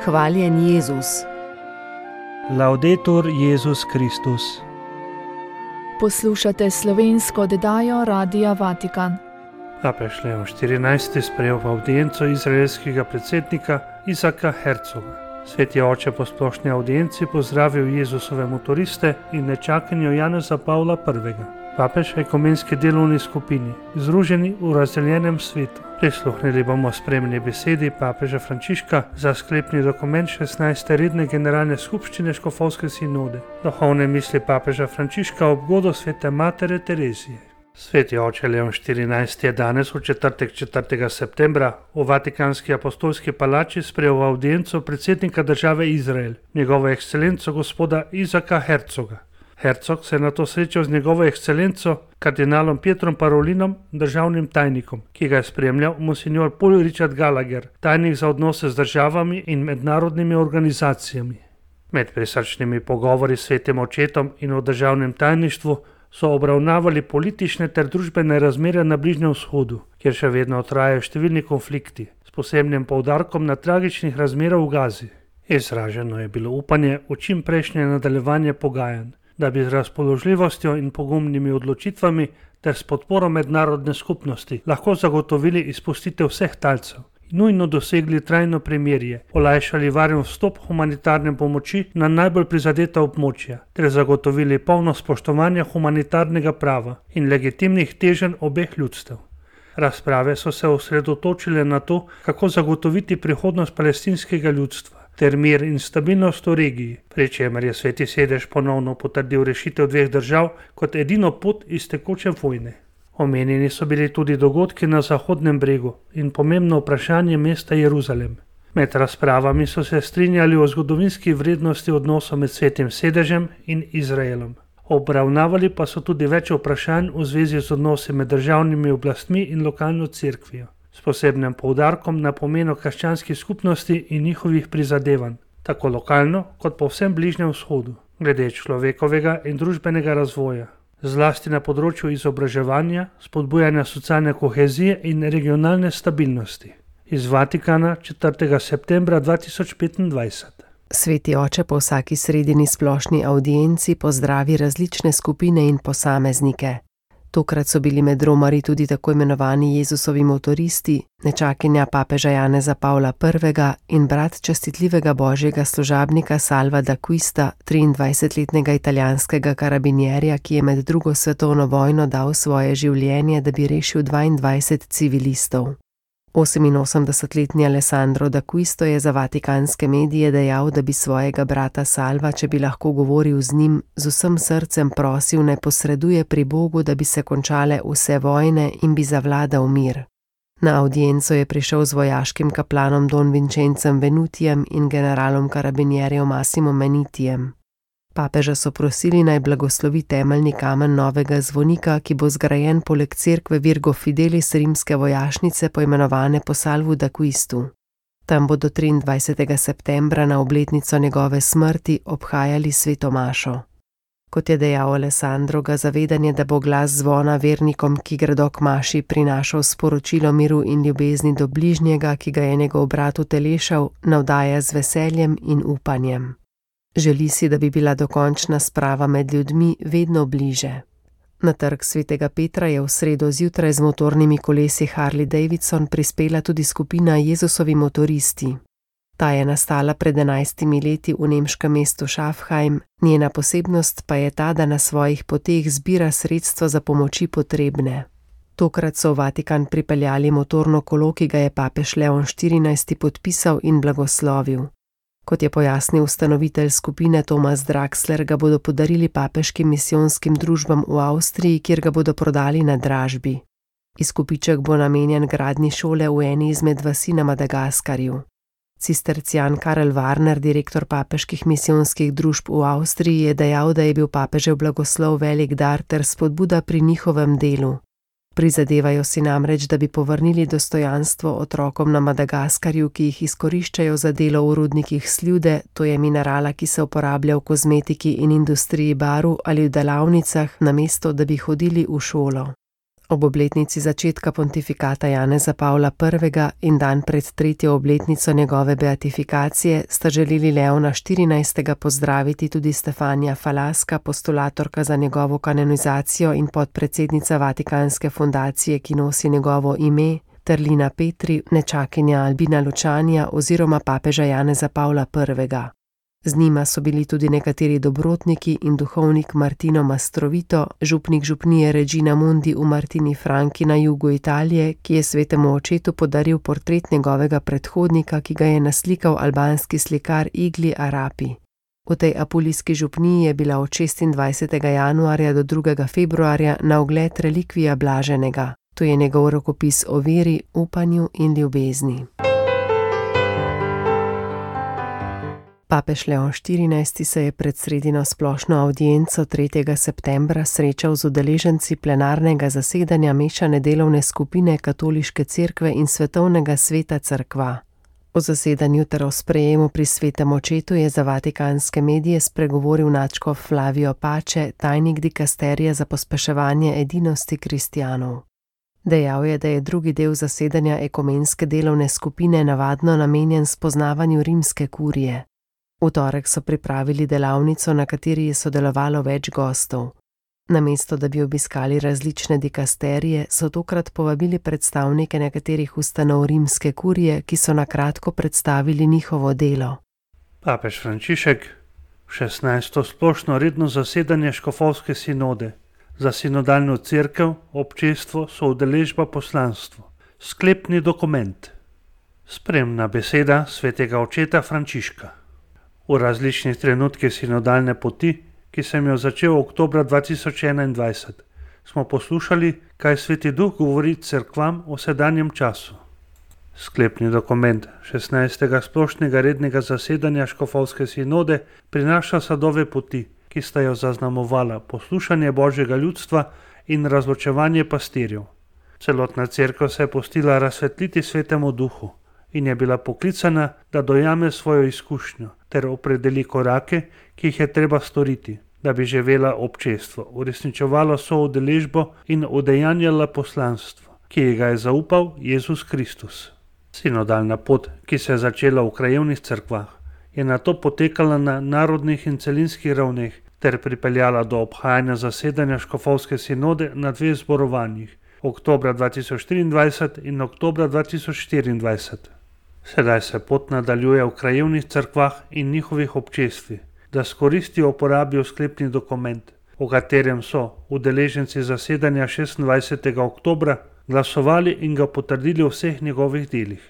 Hvaljen Jezus. Laudetur Jezus Kristus. Poslušate slovensko oddajo Radia Vatikan. Papež Leon XIV. Sprejel v avdienco izraelskega predsednika Isaka Herzoga. Sveti oče po splošni audienci pozdravil Jezusove motoriste in nečakanju Janeza Pavla I. Papež v ekumenski delovni skupini, združeni v razdeljenem svetu. Prisluhnili bomo spremni besedi papeža Frančiška za sklepni dokument 16. redne generalne skupščine Škofovske sinode. Duhovne misli papeža Frančiška ob godu svete matere Terezije. Sveti oče Leon XIV. Je danes v četrtek 4. septembra v Vatikanski apostolski palači sprejel v audienco predsednika države Izrael, njegovo ekscelenco gospoda Isaka Herzoga. Herzog se je nato srečal z njegovo ekscelenco, kardinalom Pietrom Parolinom, državnim tajnikom, ki ga je spremljal monsignor Paul Richard Gallagher, tajnik za odnose z državami in mednarodnimi organizacijami. Med prisrčnimi pogovori s svetim očetom in v državnem tajništvu so obravnavali politične ter družbene razmere na Bližnjem vzhodu, kjer še vedno trajajo številni konflikti, s posebnim poudarkom na tragičnih razmerah v Gazi. Izraženo je bilo upanje v čim prejšnje nadaljevanje pogajanj, da bi z razpoložljivostjo in pogumnimi odločitvami ter s podporo mednarodne skupnosti lahko zagotovili izpustitev vseh talcev in nujno dosegli trajno premirje, olajšali varen vstop humanitarne pomoči na najbolj prizadeta območja ter zagotovili polno spoštovanje humanitarnega prava in legitimnih teženj obeh ljudstev. Razprave so se osredotočile na to, kako zagotoviti prihodnost palestinskega ljudstva ter mir in stabilnost v regiji, pri čemer je Sveti sedež ponovno potrdil rešitev dveh držav kot edino pot iz tekoče vojne. Omenjeni so bili tudi dogodki na Zahodnem bregu in pomembno vprašanje mesta Jeruzalem. Med razpravami so se strinjali o zgodovinski vrednosti odnosov med Svetim sedežem in Izraelom. Obravnavali pa so tudi več vprašanj v zvezi z odnosi med državnimi oblastmi in lokalno cerkvijo, s posebnim poudarkom na pomenu krščanskih skupnosti in njihovih prizadevanj, tako lokalno kot po vsem Bližnjem vzhodu, glede človekovega in družbenega razvoja, zlasti na področju izobraževanja, spodbujanja socialne kohezije in regionalne stabilnosti. Iz Vatikana 4. septembra 2025. Sveti oče po vsaki sredini splošni audienci pozdravi različne skupine in posameznike. Tokrat so bili med romarji tudi tako imenovani Jezusovi motoristi, nečakinja papeža Janeza Pavla I. in brat častitljivega božjega služabnika Salva d'Acquista, 23-letnega italijanskega karabinjerja, ki je med drugo svetovno vojno dal svoje življenje, da bi rešil 22 civilistov. 88-letni Alessandro d'Acquisto je za vatikanske medije dejal, da bi svojega brata Salva, če bi lahko govoril z njim, z vsem srcem prosil, naj posreduje pri Bogu, da bi se končale vse vojne in bi zavladal mir. Na audienco je prišel z vojaškim kaplanom Don Vincenzem Venutijem in generalom karabinjerjev Massimo Menitijem. Papeža so prosili, naj blagoslovi temeljni kamen novega zvonika, ki bo zgrajen poleg cerkve Virgo Fidelis rimske vojašnice poimenovane po Salvu d'Acquistu. Tam bodo 23. septembra na obletnico njegove smrti obhajali sveto mašo. Kot je dejal Alessandro, ga zavedanje, da bo glas zvona vernikom, ki gredo k maši, prinašal sporočilo miru in ljubezni do bližnjega, ki ga je njegov brat utelešal, navdaja z veseljem in upanjem. Želi si, da bi bila dokončna sprava med ljudmi vedno bliže. Na trg svetega Petra je v sredo zjutraj z motornimi kolesi Harley Davidson prispela tudi skupina Jezusovi motoristi. Ta je nastala pred 11 leti v nemškem mestu Schaffheim, njena posebnost pa je ta, da na svojih poteh zbira sredstva za pomoči potrebne. Tokrat so v Vatikan pripeljali motorno kolo, ki ga je papež Leon XIV. Podpisal in blagoslovil. Kot je pojasnil ustanovitelj skupine Thomas Draxler, ga bodo podarili papeškim misijonskim družbam v Avstriji, kjer ga bodo prodali na dražbi. Izkupiček bo namenjen gradnji šole v eni izmed vasi na Madagaskarju. Cistercijan Karel Warner, direktor papeških misijonskih družb v Avstriji, je dejal, da je bil papežev blagoslov velik dar ter spodbuda pri njihovem delu. Prizadevajo si namreč, da bi povrnili dostojanstvo otrokom na Madagaskarju, ki jih izkoriščajo za delo v rudnikih sljude, to je minerala, ki se uporablja v kozmetiki in industriji barv ali v delavnicah, namesto da bi hodili v šolo. Ob obletnici začetka pontifikata Janeza Pavla I. in dan pred 3. obletnico njegove beatifikacije sta želeli Leona XIV. Pozdraviti tudi Stefanija Falaska, postulatorka za njegovo kanonizacijo in podpredsednica Vatikanske fundacije, ki nosi njegovo ime, ter Lina Petri, nečakinja Albina Lučanija oziroma papeža Janeza Pavla I. Z njima so bili tudi nekateri dobrotniki in duhovnik Martino Mastrovito, župnik župnije Regina Mundi v Martini Franki na jugu Italije, ki je svetemu očetu podaril portret njegovega predhodnika, ki ga je naslikal albanski slikar Igli Arapi. V tej apulijski župniji je bila od 26. januarja do 2. februarja na ogled relikvija Blaženega. To je njegov rokopis o veri, upanju in ljubezni. Papež Leon XIV. Se je pred sredino splošno avdienco 3. septembra srečal z udeleženci plenarnega zasedanja mešane delovne skupine Katoliške cerkve in Svetovnega sveta cerkva. O zasedanju ter o sprejemu pri svetem očetu je za vatikanske medije spregovoril nadškof Flavio Pace, tajnik dikasterija za pospeševanje edinosti kristjanov. Dejal je, da je drugi del zasedanja ekumenske delovne skupine navadno namenjen spoznavanju rimske kurije. V torek so pripravili delavnico, na kateri je sodelovalo več gostov. Namesto da bi obiskali različne dikasterije, so tokrat povabili predstavnike nekaterih ustanov rimske kurije, ki so na kratko predstavili njihovo delo. Papež Frančišek, 16. splošno redno zasedanje škofovske sinode. Za sinodalno cerkev, občestvo, soudeležba, poslanstvo. Sklepni dokument. Spremna beseda svetega očeta Frančiška. V različnih trenutkih sinodalne poti, ki sem jo začel oktobra 2021, smo poslušali, kaj Sveti Duh govori cerkvam o sedanjem času. Sklepni dokument 16. splošnega rednega zasedanja škofovske sinode prinaša sadove poti, ki sta jo zaznamovala poslušanje Božjega ljudstva in razločevanje pastirjev. Celotna cerkev se je pustila razsvetliti Svetemu Duhu in je bila poklicana, da dojame svojo izkušnjo ter opredeli korake, ki jih je treba storiti, da bi živela občestvo, uresničevalo soudeležbo in udejanjala poslanstvo, ki ji ga je zaupal Jezus Kristus. Sinodalna pot, ki se je začela v krajevnih cerkvah, je nato potekala na narodnih in celinskih ravneh ter pripeljala do obhajanja zasedanja škofovske sinode na 2 zborovanjih, oktobra 2023 in oktobra 2024. Sedaj se pot nadaljuje v krajevnih cerkvah in njihovih občestvih, da s koristjo uporabijo sklepni dokument, o katerem so udeleženci zasedanja 26. oktobra glasovali in ga potrdili v vseh njegovih delih.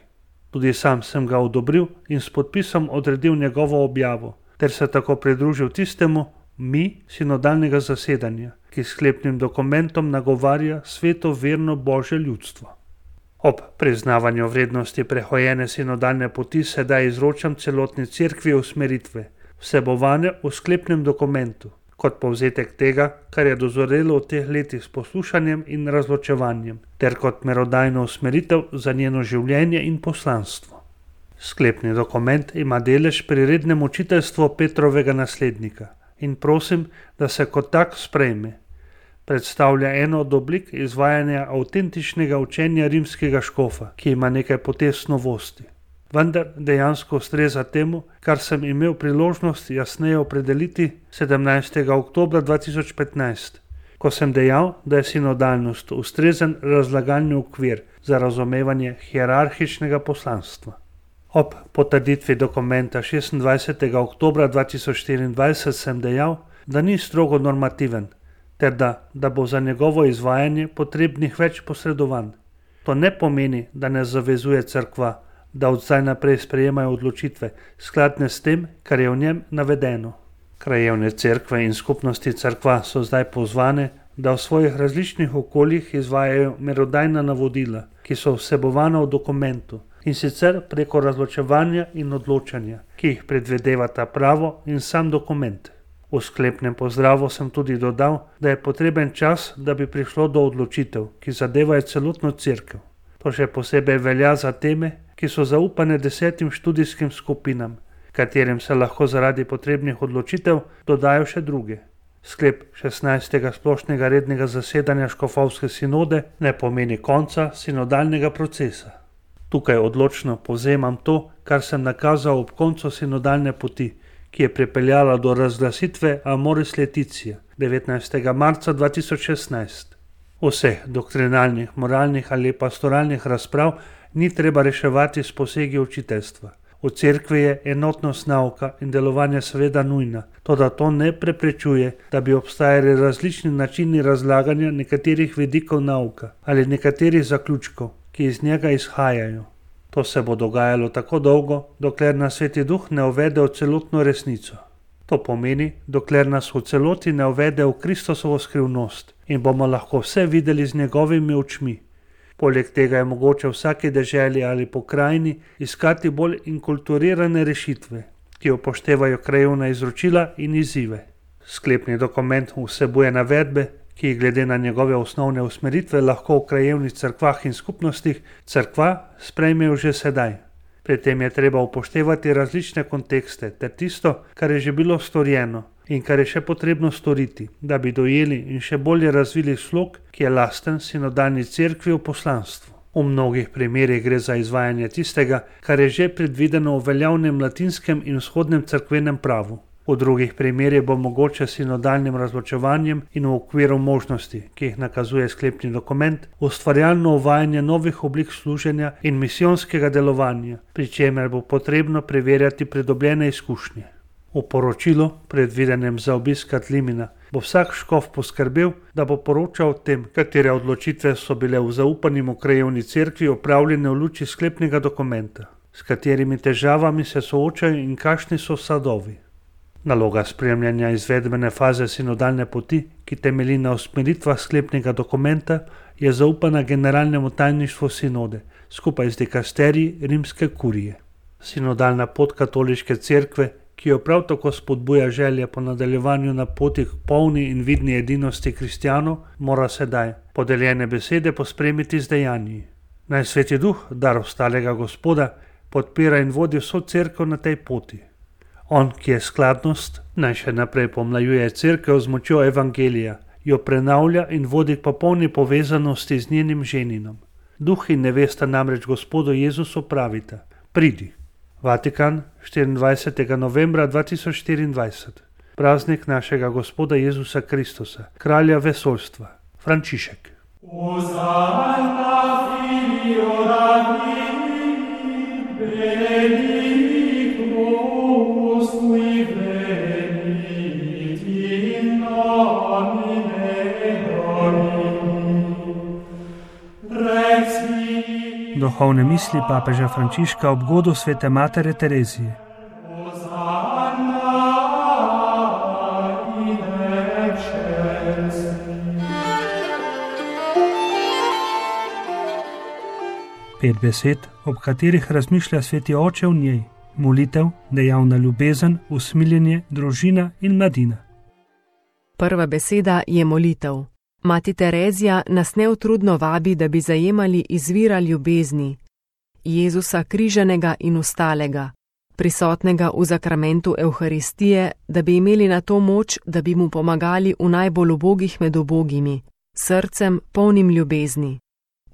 Tudi sam sem ga odobril in s podpisom odredil njegovo objavo, ter se tako pridružil tistemu mi sinodalnega zasedanja, ki sklepnim dokumentom nagovarja sveto verno Božje ljudstvo. Ob priznavanju vrednosti prehojene sinodalne poti sedaj izročam celotni cerkvi usmeritve, vsebovane v sklepnem dokumentu, kot povzetek tega, kar je dozorelo v teh letih s poslušanjem in razločevanjem, ter kot merodajno usmeritev za njeno življenje in poslanstvo. Sklepni dokument ima delež pri rednem učiteljstvu Petrovega naslednika in prosim, da se kot tak sprejme. Predstavlja eno od oblik izvajanja avtentičnega učenja rimskega škofa, ki ima nekaj potez novosti. Vendar dejansko ustreza temu, kar sem imel priložnost jasneje opredeliti 17. oktobra 2015, ko sem dejal, da je sinodalnost ustrezen razlagalni okvir za razumevanje hierarhičnega poslanstva. Ob potrditvi dokumenta 26. oktobra 2024 sem dejal, da ni strogo normativen, ter da bo za njegovo izvajanje potrebnih več posredovanj. To ne pomeni, da ne zavezuje cerkva, da od zdaj naprej sprejemajo odločitve, skladne s tem, kar je v njem navedeno. Krajevne cerkve in skupnosti cerkva so zdaj pozvane, da v svojih različnih okoljih izvajajo merodajna navodila, ki so vsebovana v dokumentu, in sicer preko razločevanja in odločanja, ki jih predvidevata pravo in sam dokument. V sklepnem pozdravu sem tudi dodal, da je potreben čas, da bi prišlo do odločitev, ki zadevajo celotno cerkev. To še posebej velja za teme, ki so zaupane 10 študijskim skupinam, katerim se lahko zaradi potrebnih odločitev dodajo še druge. Sklep 16. splošnega rednega zasedanja škofovske sinode ne pomeni konca sinodalnega procesa. Tukaj odločno povzemam to, kar sem nakazal ob koncu sinodalne poti, ki je pripeljala do razglasitve Amoris Laetitia 19. marca 2016. Vseh doktrinalnih, moralnih ali pastoralnih razprav ni treba reševati s posegi učiteljstva. V cerkvi je enotnost nauka in delovanja seveda nujna, toda to ne preprečuje, da bi obstajali različni načini razlaganja nekaterih vidikov nauka ali nekaterih zaključkov, ki iz njega izhajajo. To se bo dogajalo tako dolgo, dokler nas Sveti Duh ne uvede v celotno resnico. To pomeni, dokler nas v celoti ne uvede v Kristusovo skrivnost in bomo lahko vse videli z njegovimi očmi. Poleg tega je mogoče v vsaki deželi ali pokrajini iskati bolj inkulturirane rešitve, ki upoštevajo krajevna izročila in izzive. Sklepni dokument vsebuje navedbe, ki glede na njegove osnovne usmeritve lahko v krajevnih cerkvah in skupnostih cerkva sprejmejo že sedaj. Pri tem je treba upoštevati različne kontekste ter tisto, kar je že bilo storjeno in kar je še potrebno storiti, da bi dojeli in še bolje razvili slog, ki je lasten sinodalni cerkvi v poslanstvu. V mnogih primerih gre za izvajanje tistega, kar je že predvideno v veljavnem latinskem in vzhodnem cerkvenem pravu. V drugih primerih bo mogoče sinodalnim razločevanjem in v okviru možnosti, ki jih nakazuje sklepni dokument, ustvarjalno uvajanje novih oblik služenja in misijonskega delovanja, pri čemer bo potrebno preverjati pridobljene izkušnje. V poročilu, predvidenem za obisk Katlimina, bo vsak škof poskrbel, da bo poročal o tem, katere odločitve so bile v zaupanim v krajevni cerkvi opravljene v luči sklepnega dokumenta, s katerimi težavami se soočajo in kakšni so sadovi. Naloga spremljanja izvedbene faze sinodalne poti, ki temelji na usmeritvah sklepnega dokumenta, je zaupana generalnemu tajništvu sinode, skupaj z dikasteriji rimske kurije. Sinodalna pot katoliške cerkve, ki jo prav tako spodbuja želja po nadaljevanju na poti k polni in vidni edinosti kristjanov, mora sedaj podeljene besede pospremiti z dejanji. Naj Sveti Duh, dar ostalega Gospoda, podpira in vodi vso cerkev na tej poti. On, ki je skladnost, naj še naprej pomlajuje cerkev z močjo evangelija, jo prenavlja in vodi k popolni povezanosti z njenim ženinom. Duh in nevesta namreč Gospodu Jezusu pravita: pridi. Vatikan, 24. novembra 2024. Praznik našega Gospoda Jezusa Kristusa, kralja vesoljstva, Frančišek. Duhovne misli papeža Frančiška ob godu svete matere Terezije. Pet besed, ob katerih razmišlja Sveti Oče v njej: molitev, dejavna ljubezen, usmiljenje, družina in mladina. Prva beseda je molitev. Mati Terezija nas neutrudno vabi, da bi zajemali izvira ljubezni, Jezusa križanega in ostalega, prisotnega v zakramentu Evharistije, da bi imeli na to moč, da bi mu pomagali v najbolj ubogih med ubogimi, srcem polnim ljubezni.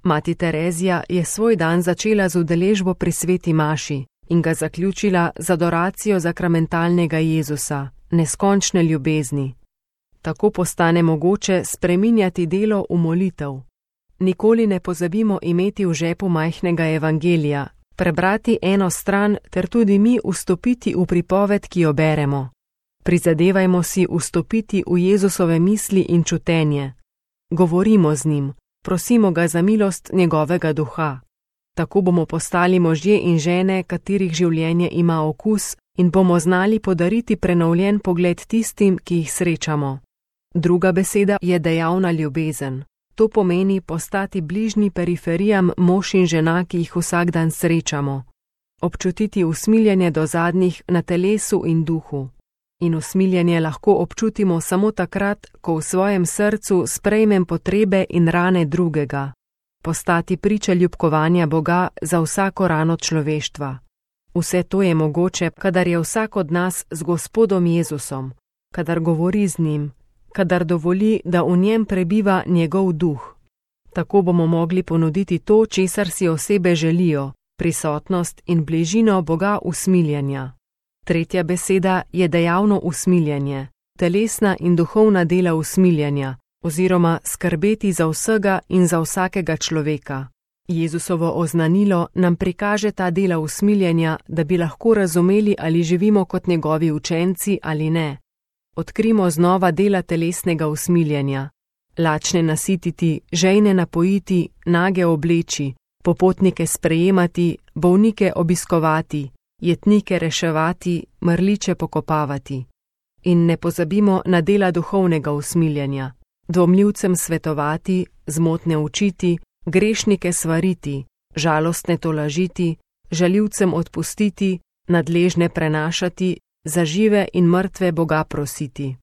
Mati Terezija je svoj dan začela z udeležbo pri sveti maši in ga zaključila z adoracijo zakramentalnega Jezusa, neskončne ljubezni. Tako postane mogoče spreminjati delo v molitev. Nikoli ne pozabimo imeti v žepu majhnega evangelija, prebrati eno stran ter tudi mi vstopiti v pripoved, ki jo beremo. Prizadevajmo si vstopiti v Jezusove misli in čutenje. Govorimo z njim, prosimo ga za milost njegovega duha. Tako bomo postali možje in žene, katerih življenje ima okus, in bomo znali podariti prenovljen pogled tistim, ki jih srečamo. Druga beseda je dejavna ljubezen. To pomeni postati bližnji periferijam mož in žena, ki jih vsak dan srečamo. Občutiti usmiljenje do zadnjih na telesu in duhu. In usmiljenje lahko občutimo samo takrat, ko v svojem srcu sprejmem potrebe in rane drugega. Postati priča ljubkovanja Boga za vsako rano človeštva. Vse to je mogoče, kadar je vsak od nas z Gospodom Jezusom, kadar govori z njim, kadar dovoli, da v njem prebiva njegov duh. Tako bomo mogli ponuditi to, česar si osebe želijo, prisotnost in bližino Boga usmiljenja. Tretja beseda je dejavno usmiljenje, telesna in duhovna dela usmiljenja, oziroma skrbeti za vsega in za vsakega človeka. Jezusovo oznanilo nam prikaže ta dela usmiljenja, da bi lahko razumeli, ali živimo kot njegovi učenci ali ne. Odkrimo znova dela telesnega usmiljenja. Lačne nasititi, žejne napojiti, nage obleči, popotnike sprejemati, bolnike obiskovati, jetnike reševati, mrliče pokopavati. In ne pozabimo na dela duhovnega usmiljenja. Dvomljivcem svetovati, zmotne učiti, grešnike svariti, žalostne tolažiti, žaljivcem odpustiti, nadležne prenašati, za žive in mrtve Boga prositi.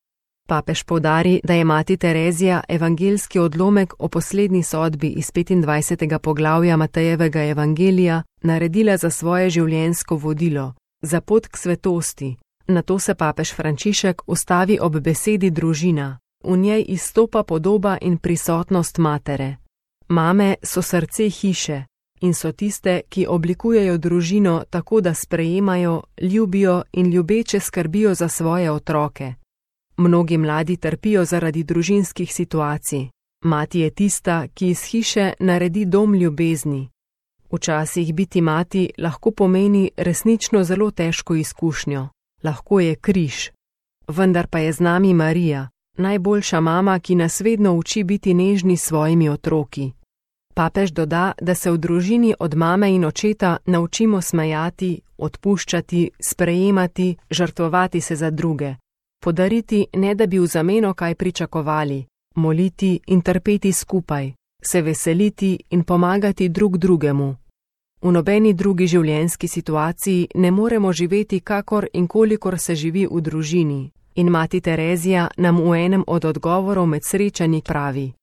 Papež poudari, da je mati Terezija evangeljski odlomek o poslednji sodbi iz 25. poglavja Matejevega evangelija naredila za svoje življenjsko vodilo, za pot k svetosti. Nato se papež Frančišek ustavi ob besedi družina. V njej izstopa podoba in prisotnost matere. Mame so srce hiše in so tiste, ki oblikujejo družino tako, da sprejemajo, ljubijo in ljubeče skrbijo za svoje otroke. Mnogi mladi trpijo zaradi družinskih situacij. Mati je tista, ki iz hiše naredi dom ljubezni. Včasih biti mati lahko pomeni resnično zelo težko izkušnjo. Lahko je križ. Vendar pa je z nami Marija, najboljša mama, ki nas vedno uči biti nežni s svojimi otroki. Papež doda, da se v družini od mame in očeta naučimo smejati, odpuščati, sprejemati, žrtvovati se za druge. Podariti, ne da bi v zameno kaj pričakovali, moliti in trpeti skupaj, se veseliti in pomagati drug drugemu. V nobeni drugi življenjski situaciji ne moremo živeti kakor in kolikor se živi v družini. In mati Terezija nam v enem od odgovorov med srečanji pravi: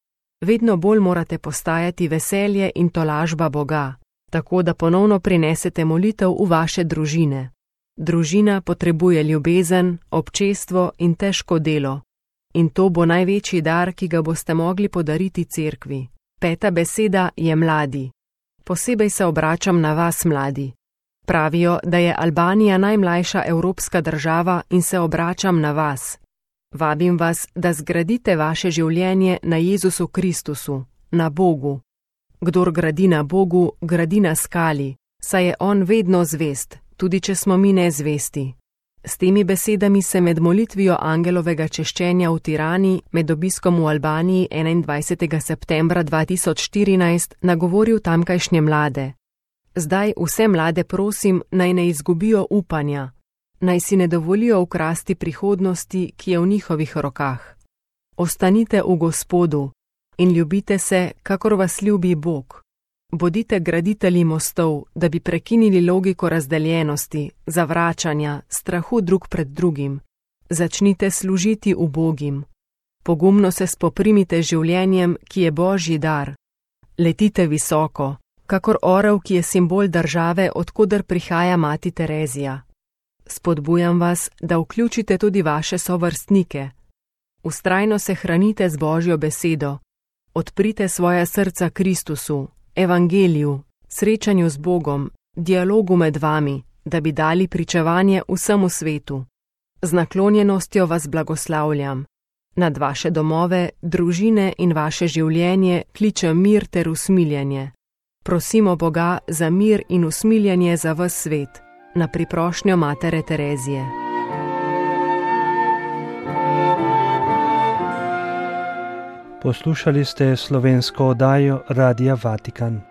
vedno bolj morate postajati veselje in tolažba Boga, tako da ponovno prinesete molitev v vaše družine. Družina potrebuje ljubezen, občestvo in težko delo. In to bo največji dar, ki ga boste mogli podariti cerkvi. Peta beseda je mladi. Posebej se obračam na vas, mladi. Pravijo, da je Albanija najmlajša evropska država in se obračam na vas. Vabim vas, da zgradite vaše življenje na Jezusu Kristusu, na Bogu. Kdor gradi na Bogu, gradi na skali, saj je On vedno zvest, tudi če smo mi nezvesti. S temi besedami se med molitvijo angelovega češčenja v Tirani med obiskom v Albaniji 21. septembra 2014 nagovoril tamkajšnje mlade. Zdaj vse mlade prosim, naj ne izgubijo upanja, naj si ne dovolijo ukrasti prihodnosti, ki je v njihovih rokah. Ostanite v Gospodu in ljubite se, kakor vas ljubi Bog. Bodite graditelji mostov, da bi prekinili logiko razdeljenosti, zavračanja, strahu drug pred drugim. Začnite služiti ubogim. Pogumno se spoprimite z življenjem, ki je Božji dar. Letite visoko, kakor orel, ki je simbol države, od koder prihaja mati Terezija. Spodbujam vas, da vključite tudi vaše sovrstnike. Vztrajno se hranite z Božjo besedo. Odprite svoja srca Kristusu, evangeliju, srečanju z Bogom, dialogu med vami, da bi dali pričevanje vsemu svetu. Z naklonjenostjo vas blagoslavljam. Nad vaše domove, družine in vaše življenje kliče mir ter usmiljenje. Prosimo Boga za mir in usmiljenje za ves svet, na priprošnjo matere Terezije. Poslušali ste slovensko oddajo Radia Vatikan.